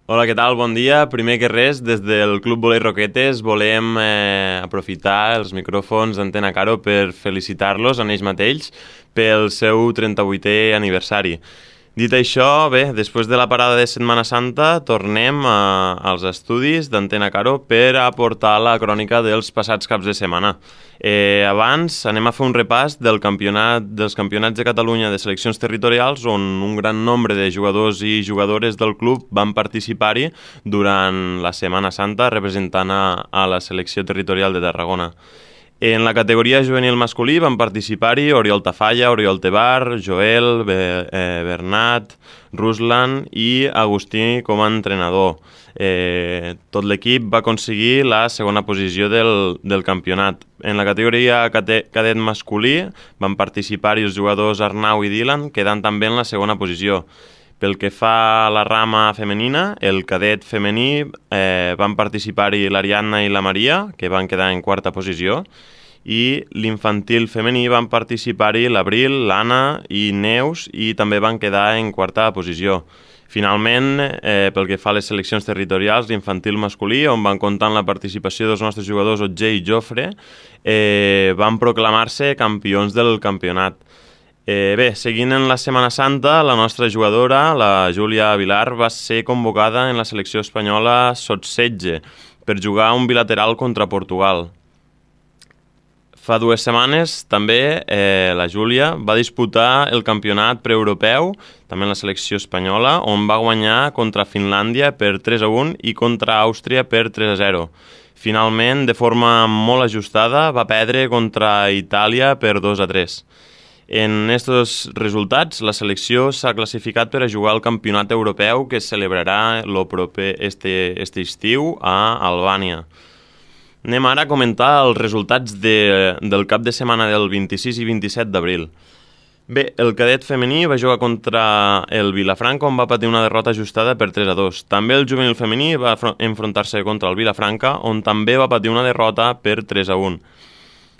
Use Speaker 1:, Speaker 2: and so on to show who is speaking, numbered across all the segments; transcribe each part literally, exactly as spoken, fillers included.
Speaker 1: Hola, què tal? Bon dia. Primer que res, des del Club Volei Roquetes volem eh, aprofitar els micròfons d'Antena Caro per felicitar-los a ells mateixos pel seu trenta-vuitè aniversari. Dit això, bé, després de la parada de Setmana Santa tornem a, als estudis d'Antena Caro per aportar la crònica dels passats caps de setmana. Eh, abans anem a fer un repàs del campionat, dels campionats de Catalunya de seleccions territorials on un gran nombre de jugadors i jugadores del club van participar-hi durant la Setmana Santa representant a, a la selecció territorial de Tarragona. En la categoria juvenil masculí van participar-hi Oriol Tafalla, Oriol Tebar, Joel, Be eh, Bernat, Ruslan i Agustí com a entrenador. Eh, tot l'equip va aconseguir la segona posició del, del campionat. En la categoria cadet masculí van participar-hi els jugadors Arnau i Dylan, quedant també en la segona posició. Pel que fa a la rama femenina, el cadet femení eh, van participar-hi l'Ariadna i la Maria, que van quedar en quarta posició, i l'infantil femení van participar-hi l'Abril, l'Anna i Neus, i també van quedar en quarta posició. Finalment, eh, pel que fa a les seleccions territorials, l'infantil masculí, on van comptar amb la participació dels nostres jugadors Otger i Jofre, eh, van proclamar-se campions del campionat. Eh, bé, seguint en la Setmana Santa, la nostra jugadora, la Júlia Vilar, va ser convocada en la selecció espanyola sotsetze per jugar un bilateral contra Portugal. Fa dues setmanes també eh, la Júlia va disputar el campionat preeuropeu, també en la selecció espanyola, on va guanyar contra Finlàndia per tres a un i contra Àustria per tres a zero. Finalment, de forma molt ajustada, va perdre contra Itàlia per dos a tres. En aquests resultats, la selecció s'ha classificat per a jugar al campionat europeu que es celebrarà lo proper este, este estiu a Albània. Anem ara a comentar els resultats de, del cap de setmana del vint-i-sis i vint-i-set d'abril. Bé, el cadet femení va jugar contra el Vilafranca, on va patir una derrota ajustada per tres a dos. També el juvenil femení va enfrontar-se contra el Vilafranca, on també va patir una derrota per tres a un.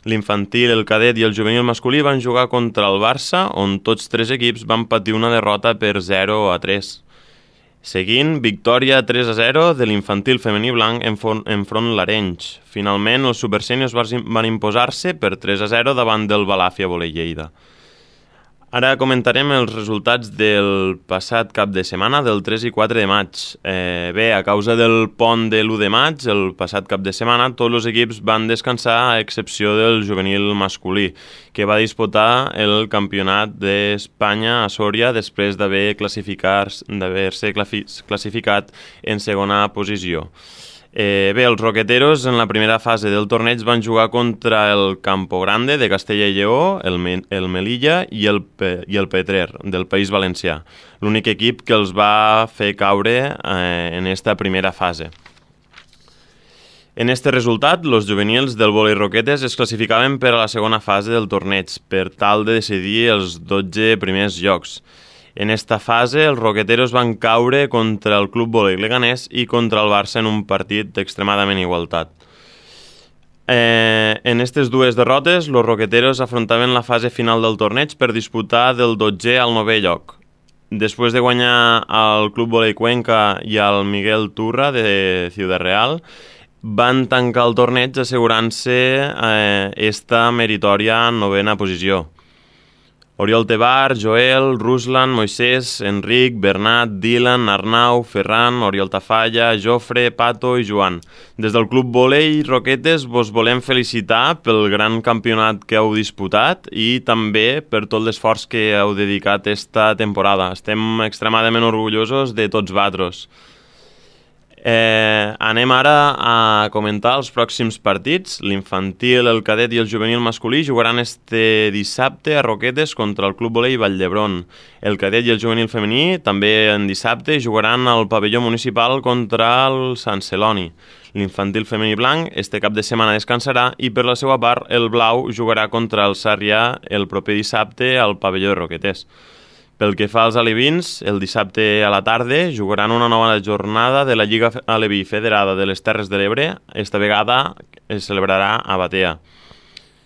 Speaker 1: L'infantil, el cadet i el juvenil masculí van jugar contra el Barça, on tots tres equips van patir una derrota per zero a tres. Seguint, victòria tres a zero de l'infantil femení blanc enfront l'Arenys. Finalment, els supersèniors van imposar-se per tres a zero davant del Balàfia Volei Lleida. Ara comentarem els resultats del passat cap de setmana, del tres i quatre de maig. Eh, bé, a causa del pont de l'u de maig, el passat cap de setmana, tots els equips van descansar a excepció del juvenil masculí, que va disputar el campionat d'Espanya a Sòria després d'haver d'haver-se classificat en segona posició. Eh, bé, els roqueteros en la primera fase del torneig van jugar contra el Campo Grande de Castella i Lleó, el, Me el Melilla i el, Pe i el Petrer del País Valencià, l'únic equip que els va fer caure eh, en esta primera fase. En este resultat, els juvenils del Volei Roquetes es classificaven per a la segona fase del torneig per tal de decidir els dotze primers llocs. En esta fase, els roqueteros van caure contra el Club Volei Leganés i contra el Barça en un partit extremadament igualtat. Eh, en aquestes dues derrotes, els roqueteros afrontaven la fase final del torneig per disputar del dotzè al novè lloc. Després de guanyar al Club Volei Cuenca i al Miguel Turra de Ciudad Real, van tancar el torneig assegurant-se eh, esta meritòria novena posició. Oriol Tebar, Joel, Ruslan, Moisés, Enric, Bernat, Dylan, Arnau, Ferran, Oriol Tafalla, Jofre, Pato i Joan. Des del Club Volei Roquetes vos volem felicitar pel gran campionat que heu disputat i també per tot l'esforç que heu dedicat esta temporada. Estem extremadament orgullosos de tots vosaltres. Eh, anem ara a comentar els pròxims partits. L'infantil, el cadet i el juvenil masculí jugaran este dissabte a Roquetes contra el Club Volei Vall d'Hebron. El cadet i el juvenil femení també en dissabte jugaran al pavelló municipal contra el Sant Celoni. L'infantil femení blanc este cap de setmana descansarà i per la seva part el blau jugarà contra el Sarrià el proper dissabte al pavelló de Roquetes. Pel que fa als alevins, el dissabte a la tarda jugaran una nova jornada de la Lliga Aleví Federada de les Terres de l'Ebre. Esta vegada es celebrarà a Batea.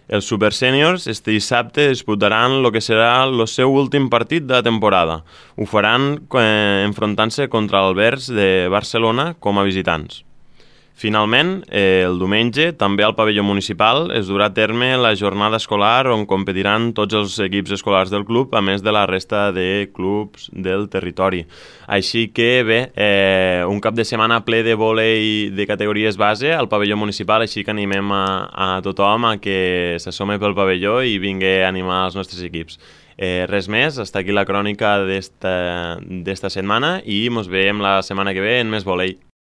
Speaker 1: Els Super Seniors este dissabte disputaran el que serà el seu últim partit de la temporada. Ho faran eh, enfrontant-se contra l'Albers de Barcelona com a visitants. Finalment, eh, el diumenge, també al pavelló municipal, es durà a terme la jornada escolar on competiran tots els equips escolars del club, a més de la resta de clubs del territori. Així que, bé, eh, un cap de setmana ple de vòlei de categories base al pavelló municipal, així que animem a, a tothom a que s'assome pel pavelló i vingui a animar els nostres equips. Eh, res més, està aquí la crònica d'esta setmana i ens veiem la setmana que ve en més vòlei.